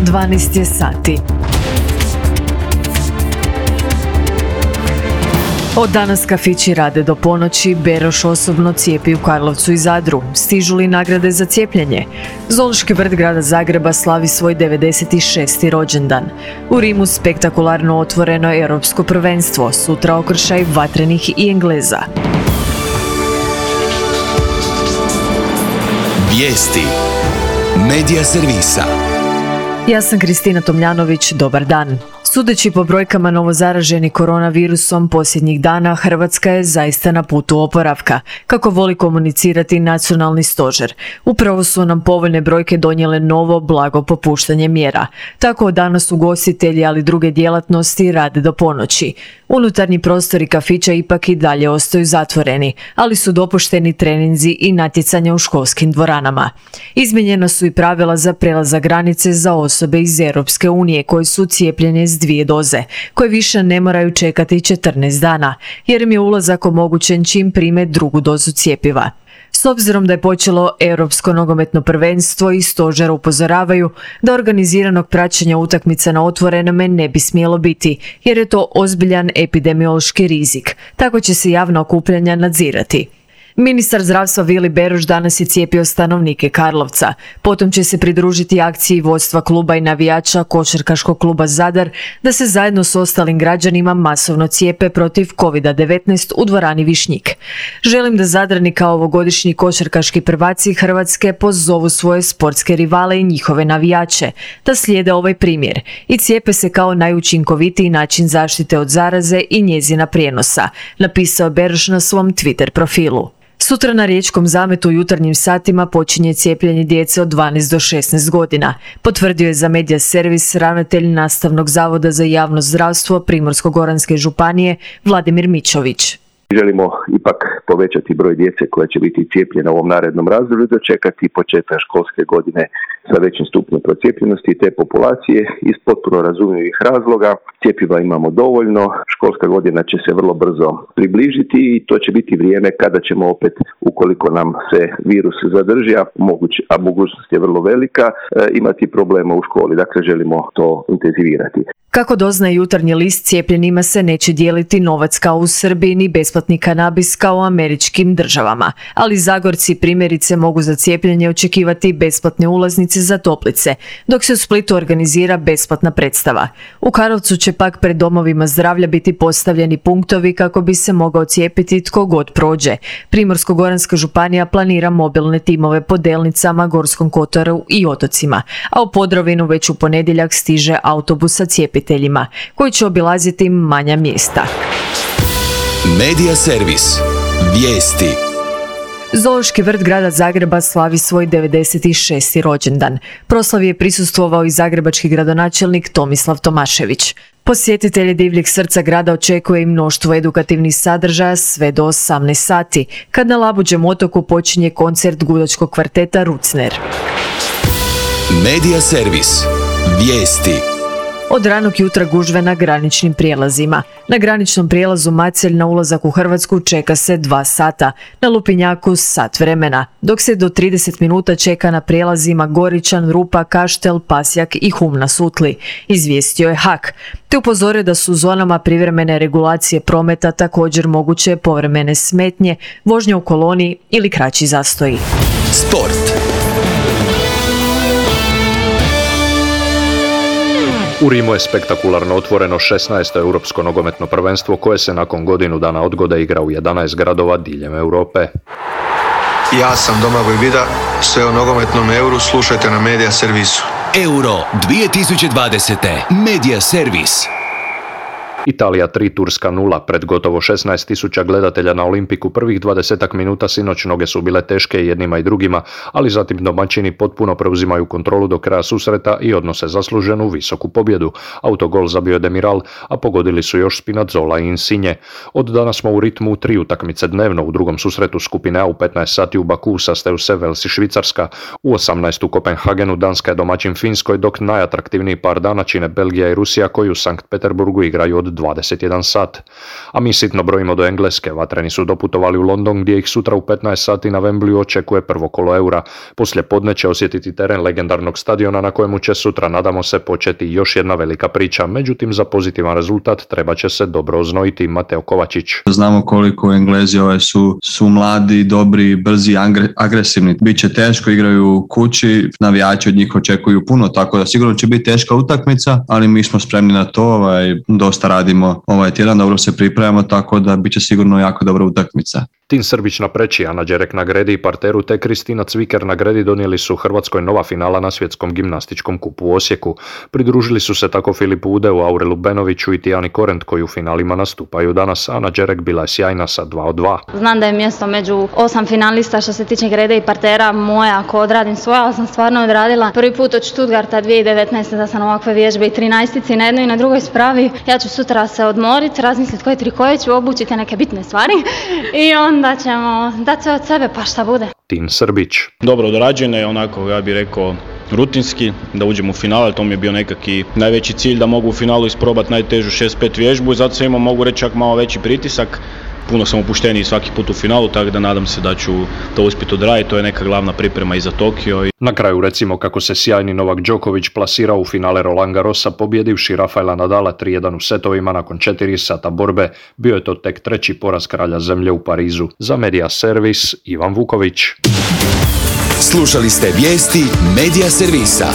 12 je sati. Od danas kafići rade do ponoći, Beroš osobno cijepi u Karlovcu i Zadru. Stižu li nagrade za cijepljenje? Zoološki vrt grada Zagreba slavi svoj 96. rođendan. U Rimu spektakularno otvoreno europsko prvenstvo, sutra okršaj vatrenih i Engleza. Vijesti Medija servisa. Ja sam Kristina Tomljanović, dobar dan. Sudeći po brojkama novozaraženih koronavirusom posljednjih dana, Hrvatska je zaista na putu oporavka, kako voli komunicirati nacionalni stožer. Upravo su nam povoljne brojke donijele novo blago popuštanje mjera. Tako od danas ugostitelji, ali druge djelatnosti rade do ponoći. Unutarnji prostori kafića ipak i dalje ostaju zatvoreni, ali su dopušteni treninzi i natjecanja u školskim dvoranama. Izmijenjena su i pravila za prelazak granice za osobe iz Europske unije koje su cijepljene s 2 doze, koje više ne moraju čekati 14 dana, jer im je ulazak omogućen čim prime 2. dozu cjepiva. S obzirom da je počelo Europsko nogometno prvenstvo i stožer upozoravaju da organiziranog praćenja utakmica na otvorenome ne bi smjelo biti, jer je to ozbiljan epidemiološki rizik. Tako će se javna okupljanja nadzirati. Ministar zdravstva Vili Beroš danas je cijepio stanovnike Karlovca. Potom će se pridružiti akciji vodstva kluba i navijača košarkaškog kluba Zadar da se zajedno s ostalim građanima masovno cijepe protiv COVID-19 u dvorani Višnjik. Želim da Zadrani kao ovogodišnji košarkaški prvaci Hrvatske pozovu svoje sportske rivale i njihove navijače da slijede ovaj primjer i cijepe se kao najučinkovitiji način zaštite od zaraze i njezina prijenosa, napisao Beroš na svom Twitter profilu. Sutra na Riječkom zametu u jutarnjim satima počinje cijepljenje djece od 12 do 16 godina, potvrdio je za Medija servis ravnatelj Nastavnog zavoda za javno zdravstvo Primorsko-goranske županije Vladimir Mičović. Želimo ipak povećati broj djece koja će biti cijepljena u ovom narednom razdoblju, dočekati početak školske godine sa većim stupnjem procijepljenosti te populacije iz potpuno razumljivih razloga. Cjepiva imamo dovoljno, školska godina će se vrlo brzo približiti i to će biti vrijeme kada ćemo opet, ukoliko nam se virus zadrži, a mogućnost je vrlo velika, imati problema u školi. Dakle, želimo to intenzivirati. Kako doznaje Jutarnji list, cijepljenima se neće dijeliti novac kao u Srbiji ni besplatni kanabis kao u američkim državama, ali Zagorci primjerice mogu za cijepljenje očekivati besplatne ulaznice za toplice, dok se u Splitu organizira besplatna predstava. U Karlovcu će pak pred domovima zdravlja biti postavljeni punktovi kako bi se mogao cijepiti tko god prođe. Primorsko-goranska županija planira mobilne timove po Delnicama, Gorskom kotaru i otocima, a u Podravinu već u ponedjeljak stiže autobus sa cijepiteljima, koji će obilaziti manja mjesta. Medija servis. Vijesti. Zoološki vrt grada Zagreba slavi svoj 96. rođendan. Proslavi je prisustvovao i zagrebački gradonačelnik Tomislav Tomašević. Posjetitelje divljeg srca grada očekuje i mnoštvo edukativnih sadržaja sve do 18 sati, kad na Labuđem otoku počinje koncert gudačkog kvarteta Rucner. Medija servis. Vijesti. Od ranog jutra gužve na graničnim prijelazima. Na graničnom prijelazu Macelj na ulazak u Hrvatsku čeka se 2 sata, na Lupinjaku sat vremena, dok se do 30 minuta čeka na prijelazima Goričan, Rupa, Kaštel, Pasjak i Hum na Sutli, izvijestio je HAK, te upozorio da su u zonama privremene regulacije prometa također moguće povremene smetnje, vožnja u koloni ili kraći zastoji. Sport. U Rimu je spektakularno otvoreno 16. europsko nogometno prvenstvo koje se nakon godinu dana odgode igra u 11 gradova diljem Europe. Ja sam Domagoj Vida, sve o nogometnom euru slušajte na Medija servisu. Euro 2020. Medija servis. Italija 3, Turska 0, pred gotovo 16.000 gledatelja na Olimpiku prvih 20 minuta sinoć noge su bile teške jednima i drugima, ali zatim domaćini potpuno preuzimaju kontrolu do kraja susreta i odnose zasluženu visoku pobjedu. Autogol zabio je Demiral, a pogodili su još Spinazzola i Insigne. Od danas smo u ritmu 3 utakmice dnevno. U drugom susretu skupine A u 15 sati u Baku sastaju se Vels i Švicarska. U 18 u Kopenhagenu Danska je domaćin Finskoj, dok najatraktivniji par dana čine Belgija i Rusija koji u Sankt Peterburgu igraju od 21 sat. A mi sitno brojimo do Engleske, vatreni su doputovali u London gdje ih sutra u 15 sati na Wembleyu očekuje prvo kolo Eura. Poslije podne će osjetiti teren legendarnog stadiona na kojemu će sutra, nadamo se, početi još jedna velika priča. Međutim, za pozitivan rezultat treba će se dobro oznojiti. Mateo Kovačić. Znamo koliko Englezi su mladi, dobri, brzi, agresivni. Biće teško, igraju kući, navijači od njih očekuju puno, tako da sigurno će biti teška utakmica, ali mi smo spremni na to, dosta radimo ovaj tjedan, dobro se pripremamo, tako da biće sigurno jako dobra utakmica. Tin Srbić na preći, Ana Đerek na gredi i parteru te Kristina Cviker na gredi donijeli su Hrvatskoj nova finala na svjetskom gimnastičkom kupu u Osijeku. Pridružili su se tako Filipu Udeu, Aurelu Benoviću i Tijani Korent koji u finalima nastupaju danas. Ana Đerek bila je sjajna sa 2 od 2. Znam da je mjesto među 8 finalista što se tiče grede i partera moja, ako odradim svoje, ali sam stvarno odradila prvi put od Stuttgarta 2019. da sam ovakve vježbe i 13 na jednoj i na drugoj spravi. Ja ću sutra se odmoriti, razmisliti koje trikoje ću obući, neke bitne stvari i onda ćemo dati sve od sebe pa šta bude. Tin Srbić. Dobro dorađene, onako ja bih rekao rutinski, da uđemo u finale, to mi je bio nekakvi najveći cilj da mogu u finalu isprobati najtežu 6-5 vježbu i zato sam imao, mogu reći, čak malo veći pritisak. Puno sam opušteniji svaki put u finalu, tako da nadam se da ću to uspjeti odraditi, to je neka glavna priprema i za Tokio. Na kraju recimo kako se sjajni Novak Đoković plasirao u finale Roland Garrosa pobjedivši Rafaela Nadala 3-1 u setovima nakon 4 sata borbe. Bio je to tek treći poraz kralja zemlje u Parizu. Za Media Servis, Ivan Vuković. Slušali ste vijesti Media Servisa.